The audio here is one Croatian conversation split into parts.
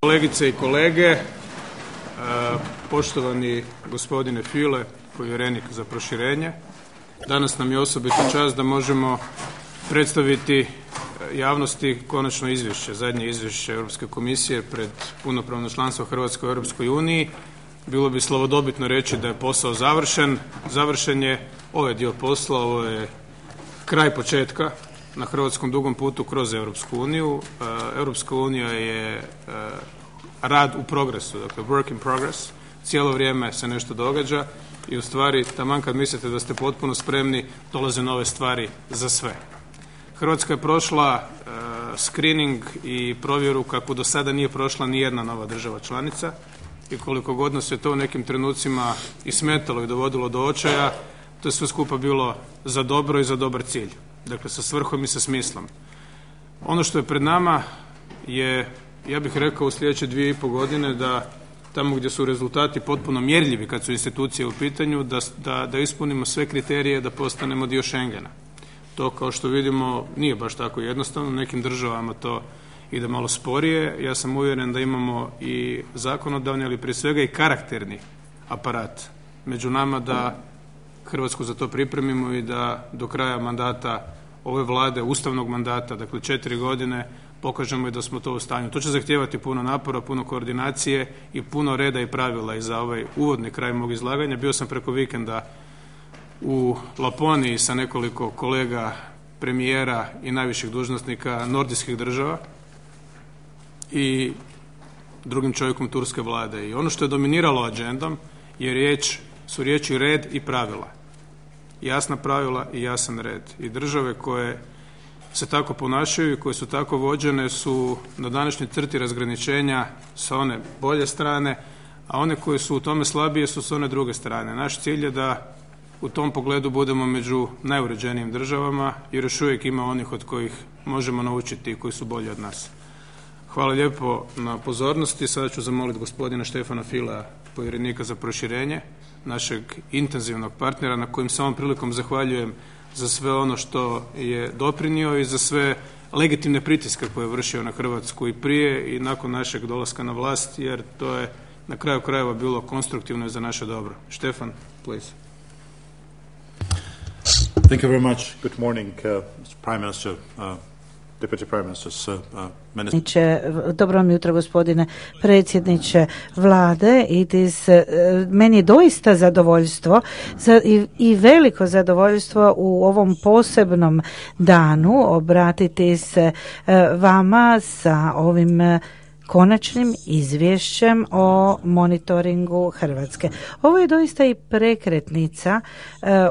Kolegice i kolege, poštovani gospodine Füle, povjerenik za proširenje, danas nam je osobita čast da možemo predstaviti javnosti konačno izvješće, zadnje izvješće Europske komisije pred punopravno članstvo Hrvatske u Europskoj uniji. Bilo bi slavodobitno reći da je posao završen. Završen je ovaj dio posla, ovo je kraj početka na hrvatskom dugom putu kroz Europsku uniju. Europska unija je rad u progresu, dakle work in progress. Cijelo vrijeme se nešto događa i u stvari taman kad mislite da ste potpuno spremni, dolaze nove stvari za sve. Hrvatska je prošla screening i provjeru kakvu do sada nije prošla ni jedna nova država članica i koliko god nas je to u nekim trenucima i smetalo i dovodilo do očaja, to je sve skupa bilo za dobro i za dobar cilj. Dakle, sa svrhom i sa smislom. Ono što je pred nama je, ja bih rekao, u sljedeće 2,5 godine da tamo gdje su rezultati potpuno mjerljivi kad su institucije u pitanju, da ispunimo sve kriterije da postanemo dio Schengena. To, kao što vidimo, nije baš tako jednostavno. U nekim državama to ide malo sporije. Ja sam uvjeren da imamo i zakonodavni, ali prije svega i karakterni aparat među nama da Hrvatsku za to pripremimo i da do kraja mandata ove Vlade, ustavnog mandata, dakle 4 godine, pokažemo i da smo to u stanju. To će zahtijevati puno napora, puno koordinacije i puno reda i pravila. I za ovaj uvodni kraj mog izlaganja bio sam preko vikenda u Laponiji sa nekoliko kolega, premijera i najviših dužnosnika nordijskih država i drugim čovjekom turske vlade. I ono što je dominiralo agendom su riječi red i pravila. Jasna pravila i jasan red. I države koje se tako ponašaju i koje su tako vođene su na današnjoj crti razgraničenja sa one bolje strane, a one koje su u tome slabije su s one druge strane. Naš cilj je da u tom pogledu budemo među najuređenijim državama jer još uvijek ima onih od kojih možemo naučiti i koji su bolji od nas. Hvala lijepo na pozornosti. Sada ću zamoliti gospodina Štefana Fülea, povjerenika za proširenje, našeg intenzivnog partnera na kojem se ovom prilikom zahvaljujem za sve ono što je doprinio i za sve legitimne pritiske koje je vršio na Hrvatsku i prije i nakon našeg dolaska na vlast, jer to je na kraju krajeva bilo konstruktivno i za naše dobro. Štefan, please. Thank you very much. Good morning, Mr. Prime Minister, Deputy Prime Ministers, Dobro vam jutro, gospodine predsjedniče vlade. Meni je doista zadovoljstvo i veliko zadovoljstvo u ovom posebnom danu obratiti se vama sa ovim konačnim izvješćem o monitoringu Hrvatske. Ovo je doista i prekretnica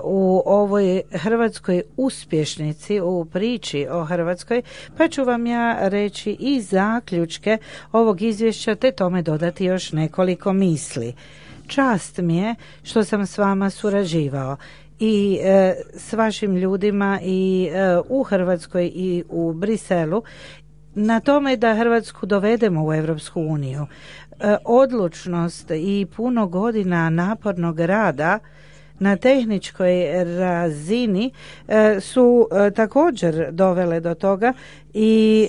u ovoj hrvatskoj uspješnici, u priči o Hrvatskoj, pa ću vam ja reći i zaključke ovog izvješća te tome dodati još nekoliko misli. Čast mi je što sam s vama surađivao i s vašim ljudima i u Hrvatskoj i u Briselu na tome da Hrvatsku dovedemo u Europsku uniju. Odlučnost i puno godina napornog rada na tehničkoj razini su također dovele do toga i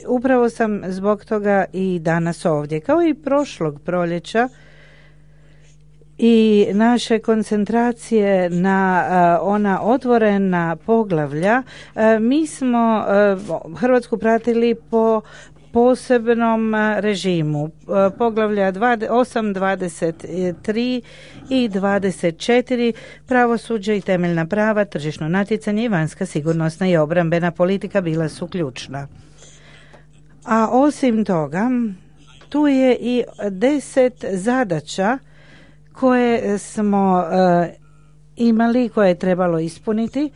upravo sam zbog toga i danas ovdje. Kao i prošlog proljeća i naše koncentracije na ona otvorena poglavlja, mi smo Hrvatsku pratili po posebnom režimu. Poglavlja 8, 23 i 24, pravosuđe i temeljna prava, tržišno natjecanje i vanjska sigurnosna i obrambena politika bila su ključna. A osim toga, tu je i 10 zadaća koje smo imali, koje je trebalo ispuniti,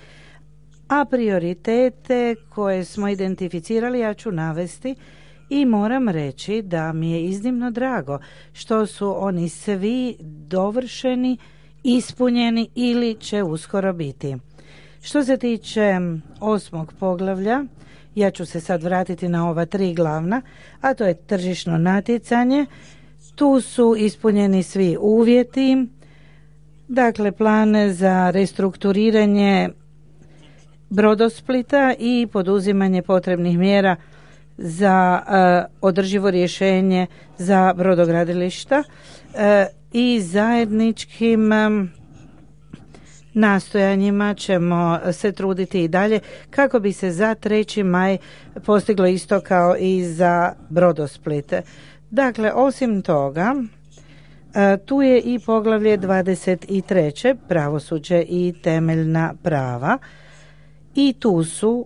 a prioritete koje smo identificirali ja ću navesti i moram reći da mi je iznimno drago što su oni svi dovršeni, ispunjeni ili će uskoro biti. Što se tiče 8. poglavlja, ja ću se sad vratiti na ova 3 glavna, a to je tržišno natjecanje. Tu su ispunjeni svi uvjeti, dakle plan za restrukturiranje Brodosplita i poduzimanje potrebnih mjera za održivo rješenje za brodogradilišta i zajedničkim nastojanjima ćemo se truditi i dalje kako bi se za 3. maj postiglo isto kao i za Brodosplit. Dakle, osim toga, tu je i poglavlje 23. pravosuđe i temeljna prava i tu su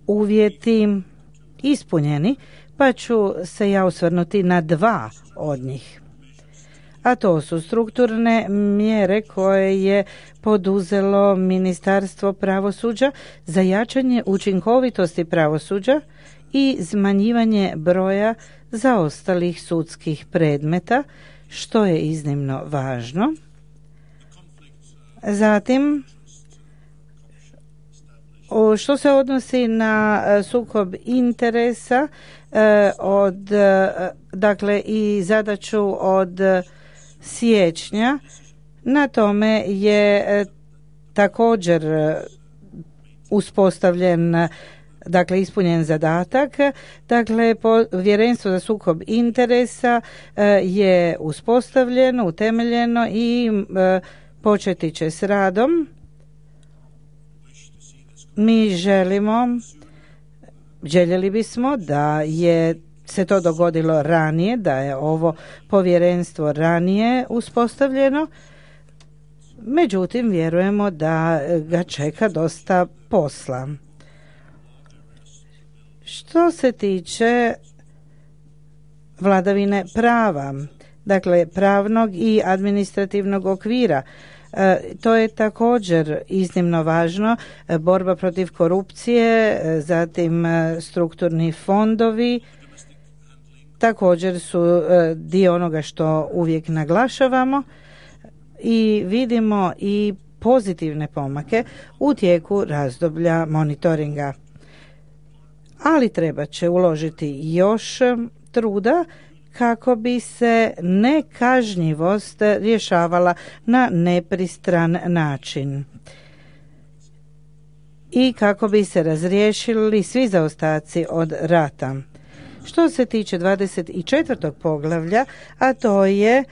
uvjeti ispunjeni, pa ću se ja osvrnuti na 2 od njih. A to su strukturne mjere koje je poduzelo Ministarstvo pravosuđa za jačanje učinkovitosti pravosuđa i smanjivanje broja zaostalih sudskih predmeta, što je iznimno važno. Zatim, što se odnosi na sukob interesa dakle i zadaću od siječnja, na tome je također uspostavljen, dakle ispunjen zadatak. Dakle, povjerenstvo za sukob interesa je uspostavljeno, utemeljeno i početi će s radom. Mi željeli bismo da je se to dogodilo ranije, da je ovo povjerenstvo ranije uspostavljeno. Međutim, vjerujemo da ga čeka dosta posla. Što se tiče vladavine prava, dakle pravnog i administrativnog okvira, to je također iznimno važno. Borba protiv korupcije, zatim strukturni fondovi, također su dio onoga što uvijek naglašavamo i vidimo i pozitivne pomake u tijeku razdoblja monitoringa. Ali treba će uložiti još truda kako bi se nekažnjivost rješavala na nepristran način i kako bi se razriješili svi zaostaci od rata. Što se tiče 24. poglavlja, a to je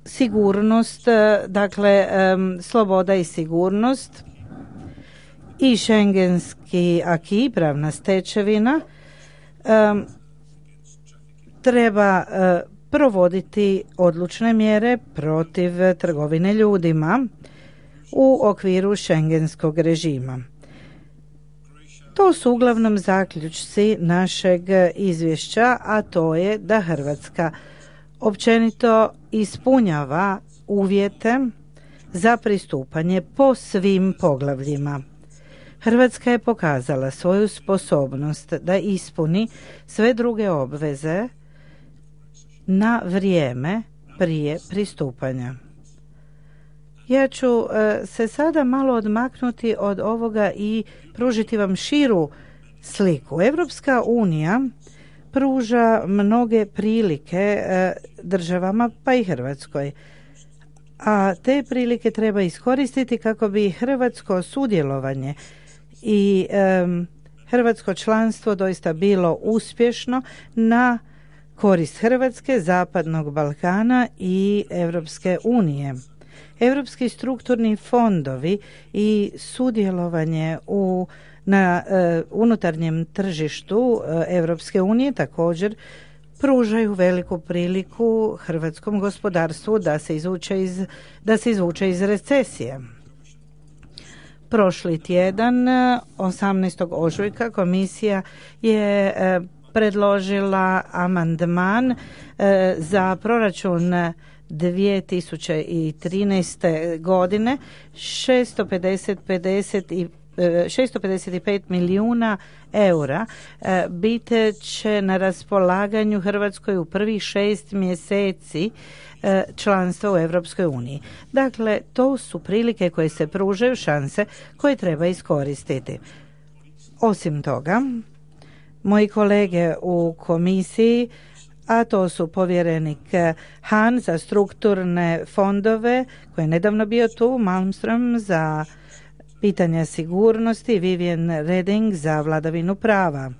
sigurnost, dakle sloboda i sigurnost i šengenski aki, pravna stečevina, treba provoditi odlučne mjere protiv trgovine ljudima u okviru šengenskog režima. To su uglavnom zaključci našeg izvješća, a to je da Hrvatska općenito ispunjava uvjete za pristupanje po svim poglavljima. Hrvatska je pokazala svoju sposobnost da ispuni sve druge obveze na vrijeme prije pristupanja. Ja ću se sada malo odmaknuti od ovoga i pružiti vam širu sliku. Evropska unija pruža mnoge prilike državama, pa i Hrvatskoj. A te prilike treba iskoristiti kako bi hrvatsko sudjelovanje i hrvatsko članstvo doista bilo uspješno na korist Hrvatske, Zapadnog Balkana i Europske unije. Europski strukturni fondovi i sudjelovanje na unutarnjem tržištu Europske unije također pružaju veliku priliku hrvatskom gospodarstvu da se izvuče iz recesije. Prošli tjedan, 18. ožujka, komisija je predložila amandman za proračun 2013. godine 655 milijuna eura bit će na raspolaganju Hrvatskoj u prvih 6 mjeseci članstva u Europskoj uniji. Dakle, to su prilike koje se pružaju, šanse koje treba iskoristiti. Osim toga, moji kolege u komisiji, a to su povjerenik Han za strukturne fondove, koji je nedavno bio tu, Malmström za pitanja sigurnosti, Vivian Reding za vladavinu prava.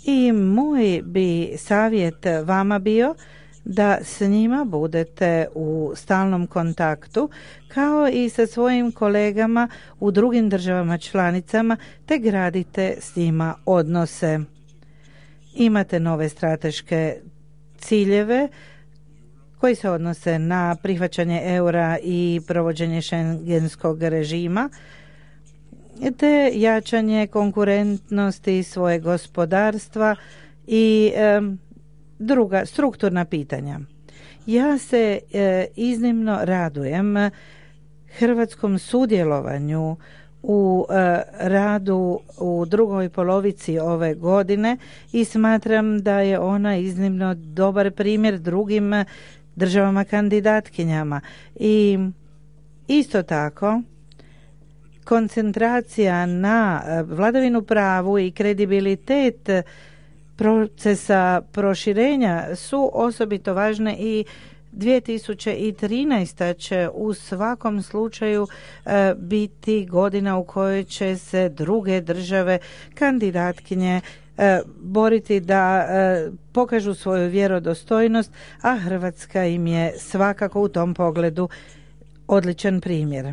I moj bi savjet vama bio da s njima budete u stalnom kontaktu, kao i sa svojim kolegama u drugim državama članicama, te gradite s njima odnose. Imate nove strateške ciljeve koji se odnose na prihvaćanje eura i provođenje šengenskog režima, te jačanje konkurentnosti svojeg gospodarstva i druga strukturna pitanja. Ja se iznimno radujem hrvatskom sudjelovanju u radu u drugoj polovici ove godine i smatram da je ona iznimno dobar primjer drugim državama kandidatkinjama. I isto tako koncentracija na vladavinu pravu i kredibilitet procesa proširenja su osobito važne i 2013. će u svakom slučaju biti godina u kojoj će se druge države kandidatkinje boriti da pokažu svoju vjerodostojnost, a Hrvatska im je svakako u tom pogledu odličan primjer.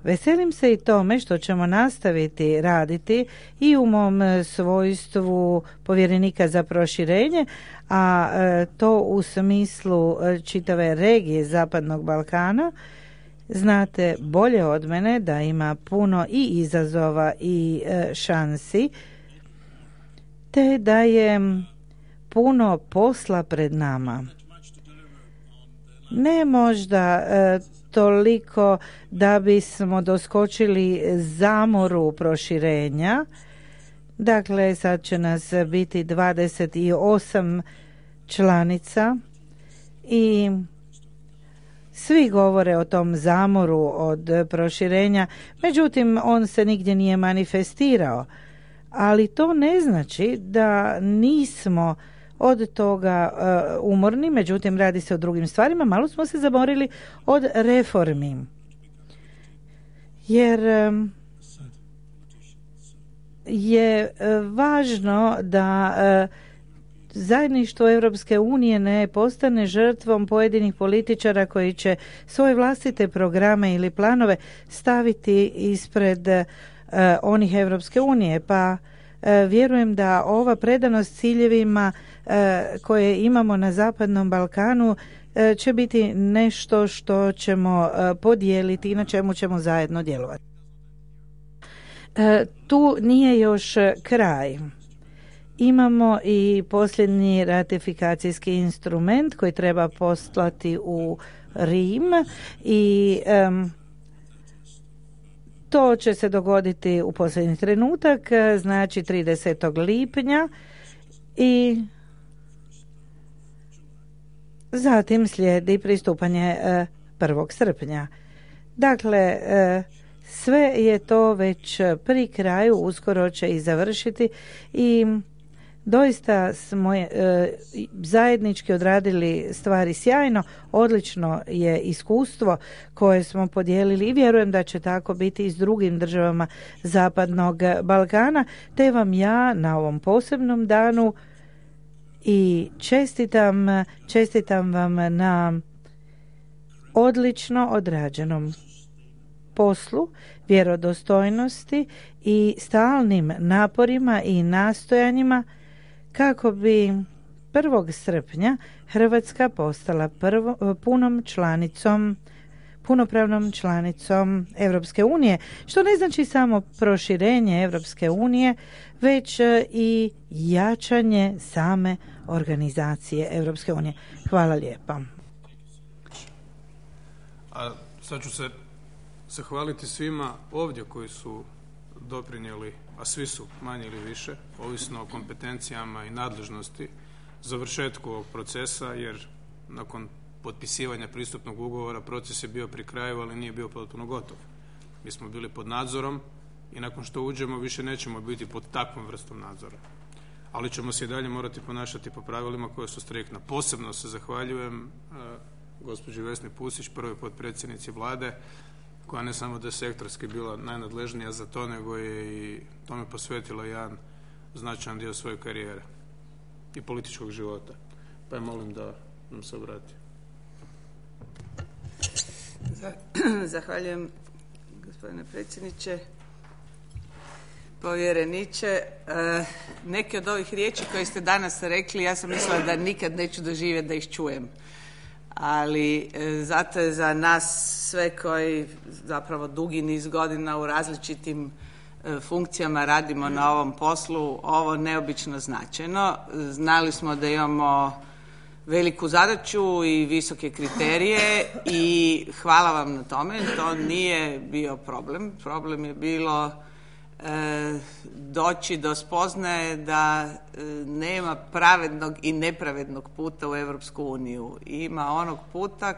Veselim se i tome što ćemo nastaviti raditi i u mom svojstvu povjerenika za proširenje, a to u smislu čitave regije Zapadnog Balkana. Znate bolje od mene da ima puno i izazova i šansi, te da je puno posla pred nama. Ne možda toliko da bismo doskočili zamoru proširenja. Dakle, sad će nas biti 28 članica i svi govore o tom zamoru od proširenja, međutim on se nigdje nije manifestirao. Ali to ne znači da nismo od toga umorni, međutim radi se o drugim stvarima. Malo smo se zamorili od reformi. Jer je važno da zajedništvo Europske unije ne postane žrtvom pojedinih političara koji će svoje vlastite programe ili planove staviti ispred onih Europske unije, pa vjerujem da ova predanost ciljevima koje imamo na Zapadnom Balkanu će biti nešto što ćemo podijeliti i na čemu ćemo zajedno djelovati. Tu nije još kraj. Imamo i posljednji ratifikacijski instrument koji treba poslati u Rim i to će se dogoditi u posljednji trenutak, znači 30. lipnja i zatim slijedi pristupanje 1. srpnja. Dakle, sve je to već pri kraju, uskoro će i završiti i doista smo zajednički odradili stvari sjajno, odlično je iskustvo koje smo podijelili i vjerujem da će tako biti i s drugim državama Zapadnog Balkana, te vam ja na ovom posebnom danu i čestitam vam na odlično odrađenom poslu, vjerodostojnosti i stalnim naporima i nastojanjima kako bi 1. srpnja Hrvatska postala punopravnom članicom Europske unije, što ne znači samo proširenje Europske unije, već i jačanje same organizacije Europske unije. Hvala lijepa. A sad ću se zahvaliti svima ovdje koji su doprinijeli, a svi su manje ili više, ovisno o kompetencijama i nadležnosti, završetku ovog procesa, jer nakon potpisivanja pristupnog ugovora proces je bio pri kraju, ali nije bio potpuno gotov. Mi smo bili pod nadzorom i nakon što uđemo više nećemo biti pod takvom vrstom nadzora. Ali ćemo se i dalje morati ponašati po pravilima koje su striktna. Posebno se zahvaljujem gospođi Vesni Pusić, prvoj potpredsjednici Vlade, koja ne samo da je sektorski bila najnadležnija za to, nego je i tome posvetila jedan značajan dio svoje karijere i političkog života. Pa je molim da nam se obrati. Zahvaljujem, gospodine predsjedniče. Povjereniče, neke od ovih riječi koje ste danas rekli, ja sam mislila da nikad neću doživjeti da ih čujem. Ali zato je za nas sve koji zapravo dugi niz godina u različitim funkcijama radimo na ovom poslu, ovo neobično značajno. Znali smo da imamo veliku zadaću i visoke kriterije i hvala vam na tome. To nije bio problem. Problem je bilo doći do spoznaje da nema pravednog i nepravednog puta u Europsku uniju. Ima onog puta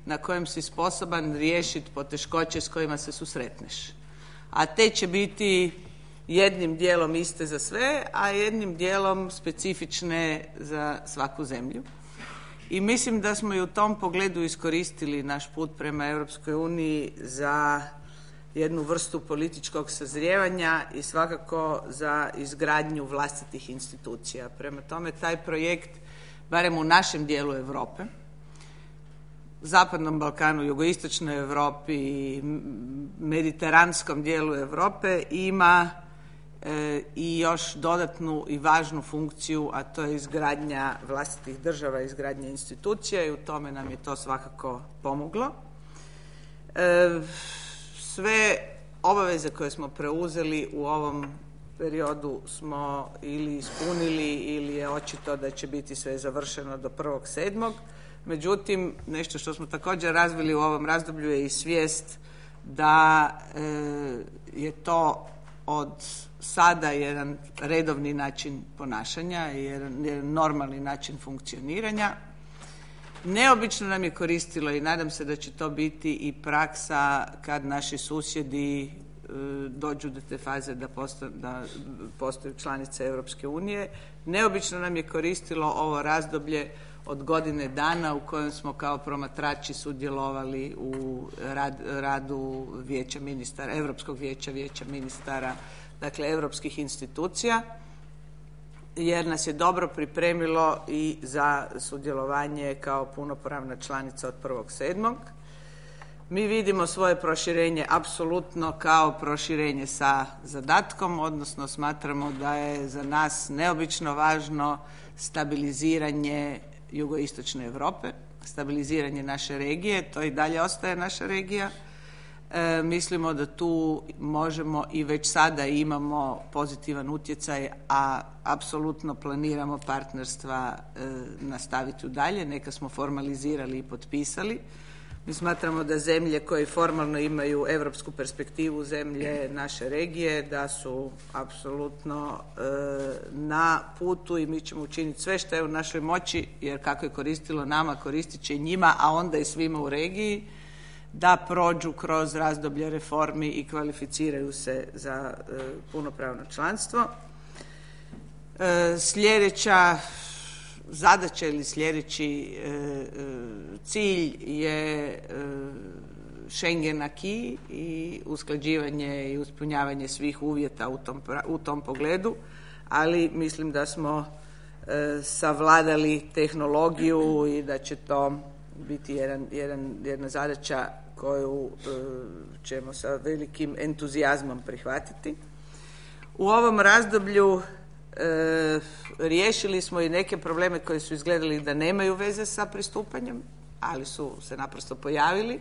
na kojem si sposoban riješiti poteškoće s kojima se susretneš. A te će biti jednim dijelom iste za sve, a jednim dijelom specifične za svaku zemlju. I mislim da smo i u tom pogledu iskoristili naš put prema Europskoj uniji za jednu vrstu političkog sazrijevanja i svakako za izgradnju vlastitih institucija. Prema tome, taj projekt, barem u našem dijelu Europe, Zapadnom Balkanu, jugoistočnoj Europi i mediteranskom dijelu Europe ima i još dodatnu i važnu funkciju, a to je izgradnja vlastitih država, izgradnja institucija i u tome nam je to svakako pomoglo. Sve obaveze koje smo preuzeli u ovom periodu smo ili ispunili ili je očito da će biti sve završeno do 1.7. Međutim, nešto što smo također razvili u ovom razdoblju je i svijest da je to od sada jedan redovni način ponašanja i jedan normalni način funkcioniranja. Neobično nam je koristilo i nadam se da će to biti i praksa kad naši susjedi dođu do te faze da postaju članice Europske unije. Neobično nam je koristilo ovo razdoblje od godine dana u kojem smo kao promatrači sudjelovali u radu Vijeća ministara, Europskog vijeća, Vijeća ministara, dakle europskih institucija, jer nas je dobro pripremilo i za sudjelovanje kao punopravna članica od 1.7. Mi vidimo svoje proširenje apsolutno kao proširenje sa zadatkom, odnosno smatramo da je za nas neobično važno stabiliziranje jugoistočne Europe, stabiliziranje naše regije, to i dalje ostaje naša regija. Mislimo da tu možemo i već sada imamo pozitivan utjecaj, a apsolutno planiramo partnerstva nastaviti dalje. Neka smo formalizirali i potpisali. Mi smatramo da zemlje koje formalno imaju europsku perspektivu, zemlje naše regije, da su apsolutno na putu i mi ćemo učiniti sve što je u našoj moći, jer kako je koristilo nama, koristit će i njima, a onda i svima u regiji, da prođu kroz razdoblje reformi i kvalificiraju se za punopravno članstvo. Sljedeća zadaća ili sljedeći cilj je Schengen acquis i usklađivanje i ispunjavanje svih uvjeta u tom pogledu, ali mislim da smo savladali tehnologiju i da će to biti jedna zadaća koju ćemo sa velikim entuzijazmom prihvatiti. U ovom razdoblju riješili smo i neke probleme koji su izgledali da nemaju veze sa pristupanjem, ali su se naprosto pojavili.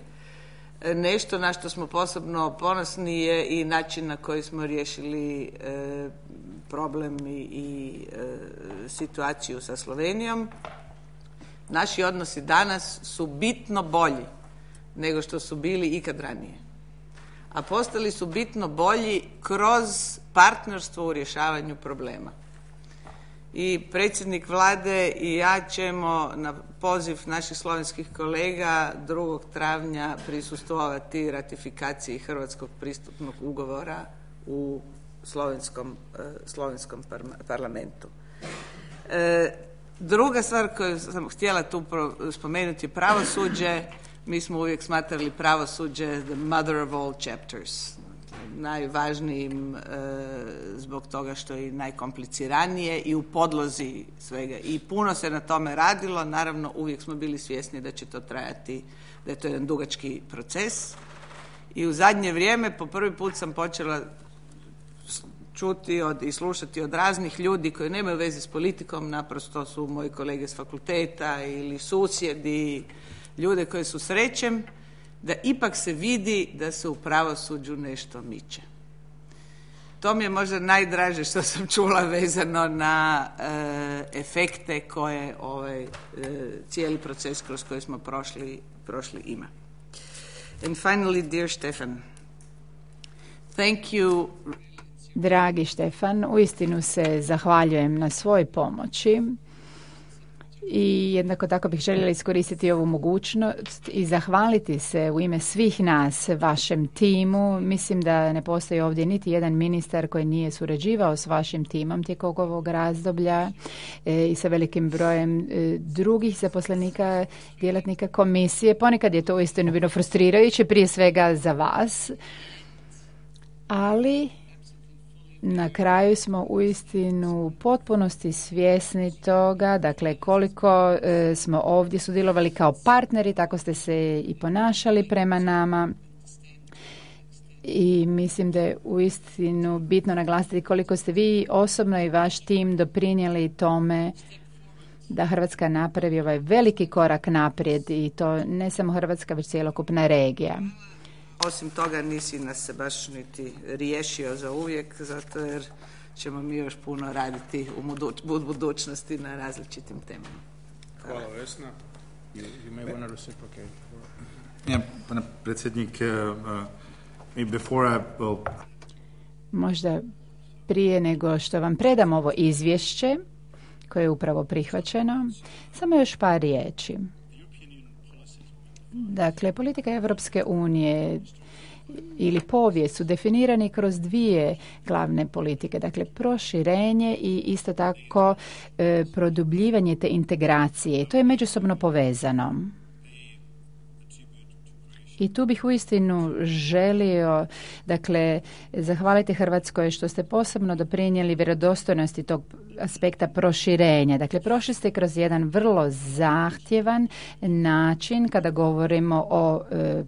Nešto na što smo posebno ponosni je i način na koji smo riješili problem i situaciju sa Slovenijom. Naši odnosi danas su bitno bolji nego što su bili ikad ranije. A postali su bitno bolji kroz partnerstvo u rješavanju problema. I predsjednik Vlade i ja ćemo na poziv naših slovenskih kolega 2. travnja prisustvovati ratifikaciji Hrvatskog pristupnog ugovora u slovenskom parlamentu. Druga stvar koju sam htjela tu spomenuti je pravosuđe. mi smo uvijek smatrali pravosuđe the mother of all chapters, najvažnijim zbog toga što je najkompliciranije i u podlozi svega. I puno se na tome radilo, naravno uvijek smo bili svjesni da će to trajati, da je to jedan dugački proces. I u zadnje vrijeme po prvi put sam počela čuti i slušati od raznih ljudi koji nemaju veze s politikom, naprosto su moji kolege s fakulteta ili susjedi, ljude koje susrećem, da ipak se vidi da se u pravosuđu nešto miče. To mi je možda najdraže što sam čula vezano na efekte koje ovaj cijeli proces kroz koji smo prošli ima. And finally, dear Stefan, thank you. Dragi Štefan, uistinu se zahvaljujem na svoj pomoći i jednako tako bih željela iskoristiti ovu mogućnost i zahvaliti se u ime svih nas, vašem timu. Mislim da ne postoji ovdje niti jedan ministar koji nije surađivao s vašim timom tijekom ovog razdoblja i sa velikim brojem drugih zaposlenika, djelatnika komisije. Ponekad je to uistinu bilo frustrirajuće, prije svega za vas, ali na kraju smo uistinu u potpunosti svjesni toga, dakle koliko smo ovdje sudjelovali kao partneri, tako ste se i ponašali prema nama i mislim da je uistinu bitno naglasiti koliko ste vi osobno i vaš tim doprinijeli tome da Hrvatska napravi ovaj veliki korak naprijed i to ne samo Hrvatska, već cjelokupna regija. Osim toga nisi nas se baš niti riješio za uvijek, zato jer ćemo mi još puno raditi u budućnosti na različitim temama. Hvala Vesna. You may want to reciprocate. Yeah, pane predsjednik, before I will... Možda prije nego što vam predam ovo izvješće koje je upravo prihvaćeno, samo još par riječi. Dakle, politika Evropske unije ili povijest su definirani kroz dvije glavne politike, dakle proširenje i isto tako produbljivanje te integracije. To je međusobno povezano. I tu bih uistinu želio, dakle, zahvaliti Hrvatskoj što ste posebno doprinijeli vjerodostojnosti tog aspekta proširenja. Dakle, prošli ste kroz jedan vrlo zahtjevan način kada govorimo o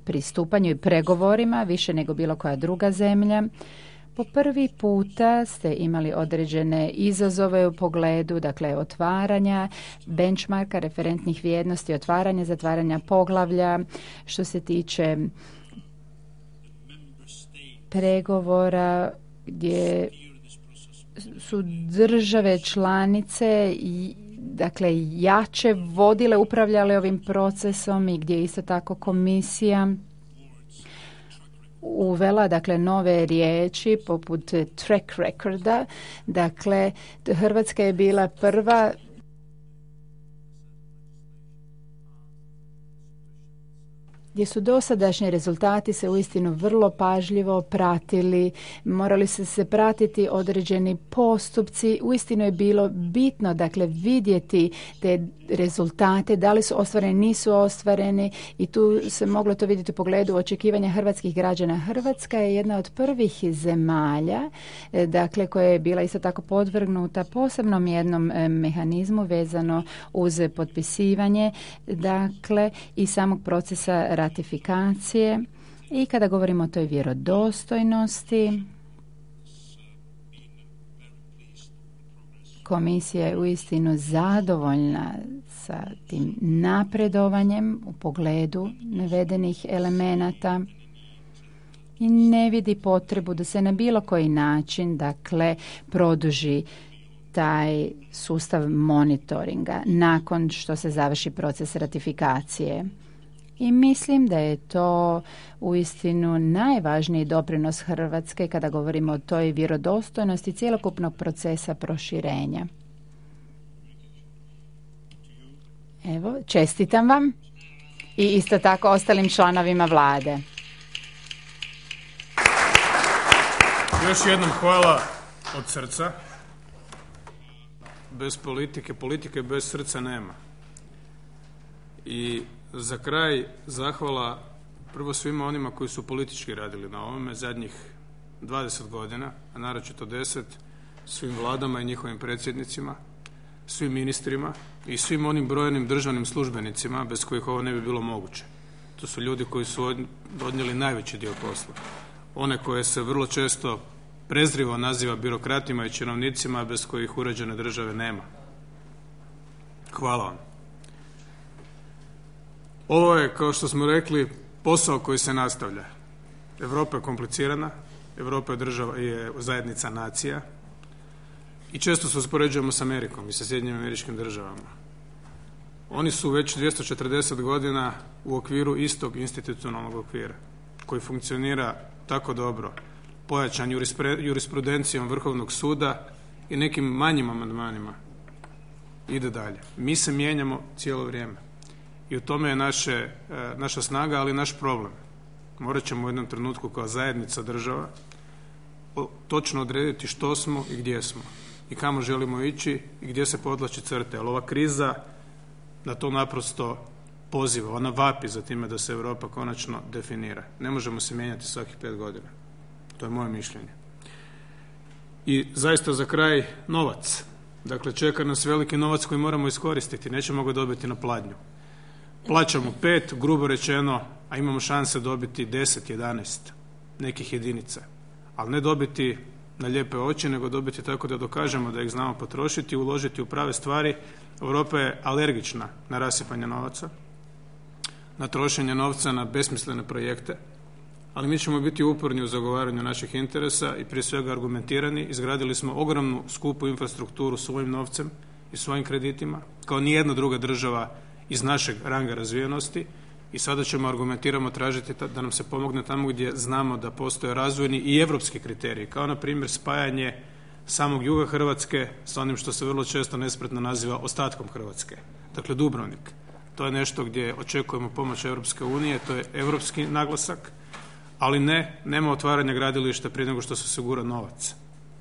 pristupanju i pregovorima, više nego bilo koja druga zemlja. Po prvi puta ste imali određene izazove u pogledu, dakle, otvaranja benchmarka, referentnih vrijednosti, otvaranja, zatvaranja poglavlja, što se tiče pregovora gdje su države članice dakle, jače vodile, upravljale ovim procesom i gdje isto tako komisija uvela, dakle, nove riječi poput track recorda. Dakle, Hrvatska je bila prva gdje su dosadašnji rezultati se uistinu vrlo pažljivo pratili, morali su se pratiti određeni postupci, uistinu je bilo bitno, dakle, vidjeti te rezultate, da li su ostvareni, nisu ostvareni i tu se moglo to vidjeti u pogledu očekivanja hrvatskih građana. Hrvatska je jedna od prvih zemalja, dakle, koja je bila isto tako podvrgnuta posebnom jednom mehanizmu vezano uz potpisivanje, dakle, i samog procesa ratifikacije. I kada govorimo o toj vjerodostojnosti, komisija je uistinu zadovoljna sa tim napredovanjem u pogledu navedenih elemenata i ne vidi potrebu da se na bilo koji način, dakle, produži taj sustav monitoringa nakon što se završi proces ratifikacije. I mislim da je to uistinu najvažniji doprinos Hrvatske kada govorimo o toj vjerodostojnosti cjelokupnog procesa proširenja. Evo, čestitam vam i isto tako ostalim članovima vlade. Još jednom hvala od srca. Bez politike bez srca nema. I Za kraj zahvala prvo svima onima koji su politički radili na ovome zadnjih 20 godina, a naročito 10, svim vladama i njihovim predsjednicima, svim ministrima i svim onim brojnim državnim službenicima bez kojih ovo ne bi bilo moguće. To su ljudi koji su odnijeli najveći dio posla. One koje se vrlo često prezrivo naziva birokratima i činovnicima bez kojih uređene države nema. Hvala vam. Ovo je, kao što smo rekli, posao koji se nastavlja. Europa je komplicirana, Europa je zajednica nacija i često se uspoređujemo s Amerikom i sa Sjedinjenim Američkim Državama. Oni su već 240 godina u okviru istog institucionalnog okvira koji funkcionira tako dobro, pojačan jurisprudencijom Vrhovnog suda i nekim manjim amandmanima. Ide dalje. Mi se mijenjamo cijelo vrijeme i u tome je naša snaga, ali i naš problem. Morat ćemo u jednom trenutku kao zajednica država točno odrediti što smo i gdje smo i kamo želimo ići i gdje se podvlači crte. Ali ova kriza na to naprosto poziva, ona vapi za time da se Europa konačno definira. Ne možemo se mijenjati svakih 5 godina. To je moje mišljenje. I zaista za kraj novac. Dakle, čeka nas veliki novac koji moramo iskoristiti. Nećemo ga dobiti na pladnju. Plaćamo 5, grubo rečeno, a imamo šanse dobiti 10, 11 nekih jedinica. Ali ne dobiti na lijepe oči, nego dobiti tako da dokažemo da ih znamo potrošiti i uložiti u prave stvari. Europa je alergična na rasipanje novaca, na trošenje novca na besmislene projekte, ali mi ćemo biti uporni u zagovaranju naših interesa i prije svega argumentirani. Izgradili smo ogromnu skupu infrastrukturu svojim novcem i svojim kreditima, kao nijedna druga država iz našeg ranga razvijenosti i sada ćemo argumentirano tražiti da nam se pomogne tamo gdje znamo da postoje razvojni i europski kriteriji, kao na primjer spajanje samog juga Hrvatske sa onim što se vrlo često nespretno naziva ostatkom Hrvatske, dakle Dubrovnik. To je nešto gdje očekujemo pomoć Europske unije, to je europski naglasak, ali nema otvaranja gradilišta prije nego što se osigura novac.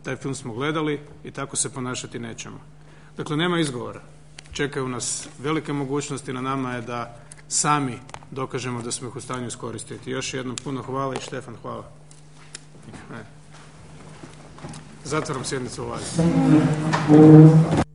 Taj film smo gledali i tako se ponašati nećemo. Dakle, nema izgovora. Čekaju nas velike mogućnosti, na nama je da sami dokažemo da smo ih u stanju iskoristiti. Još jednom puno hvala i Štefan hvala. Zatvaram sjednicu Vlade.